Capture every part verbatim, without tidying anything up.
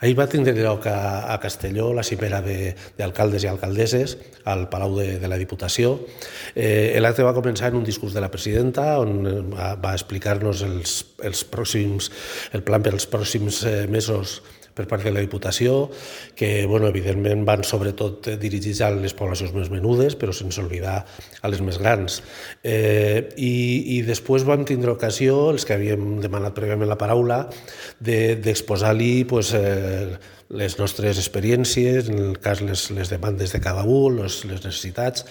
Ahir va tindre lloc a, a Castelló la cimera d'alcaldes i alcaldesses al Palau de, de la Diputació. Eh, L'acte va començar en un discurs de la presidenta on va, va explicar-nos els, els pròxims, el plan per als pròxims eh, mesos per part de la Diputació, que bueno, evidentment van sobretot dirigits a les poblacions més menudes, però sense oblidar a les més grans. Eh, i, I després vam tindre ocasió, els que havíem demanat prèviament la paraula, d'exposar-li pues, eh, les nostres experiències, en el cas les, les demandes de cada un, les, les necessitats,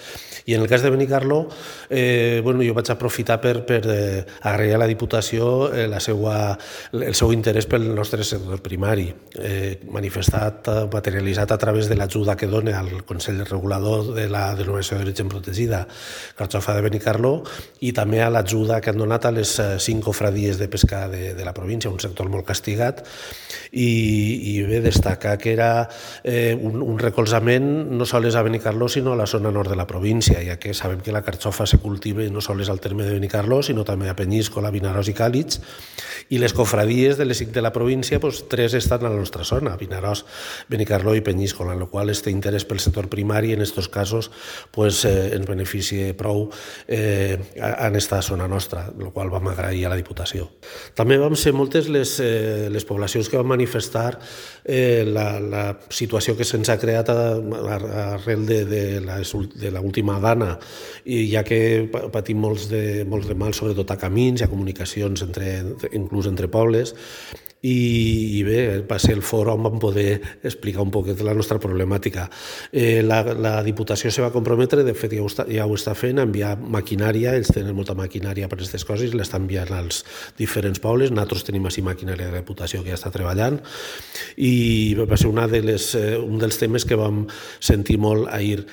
i en el cas de Benicarló, eh, bueno, jo vaig aprofitar per, per eh, agrair a la Diputació eh, la seua, el seu interès pel nostre sector primari, eh, manifestat, materialitzat a través de l'ajuda que dona al Consell Regulador de la Denominació d'Origen Protegida Carxofa de Benicarló i també a l'ajuda que han donat a les cinc cofradies de pesca de, de la província, un sector molt castigat, i, i bé, destacar que era eh, un, un recolzament no sols a Benicarló sinó a la zona nord de la província, ja que sabem que la carxofa se cultiva no sols al terme de Benicarló sinó també a Penyíscola, Vinaròs i Càlix, i les cofradies de les cinc de la província, pues, tres estan a la nostra zona, Vinaròs, Benicarló i Penyíscola, en la qual este interès pel sector primari en aquests casos pues, eh, ens beneficia prou eh, en esta zona nostra, el qual vam agrair a la Diputació. També vam ser moltes les, eh, les poblacions que van manifestar eh, la, la situació que se'ns ha creat arrel de, de, la, de l'última dana, i ja que patim molts de, molts de mal, sobretot a camins i a comunicacions, entre, inclús entre pobles, i, i bé, va ser el fòrum on vam poder explicar un poquet la nostra problemàtica. Eh, la, la Diputació se va comprometre, de fet ja ho està, ja ho està fent, a enviar maquinària, ells tenen molta maquinària per aquestes coses, i l'estan enviant als diferents pobles. Nosaltres tenim així maquinària de la Diputació que ja està treballant, i va ser una de les, eh, un dels temes que vam sentir molt ahir.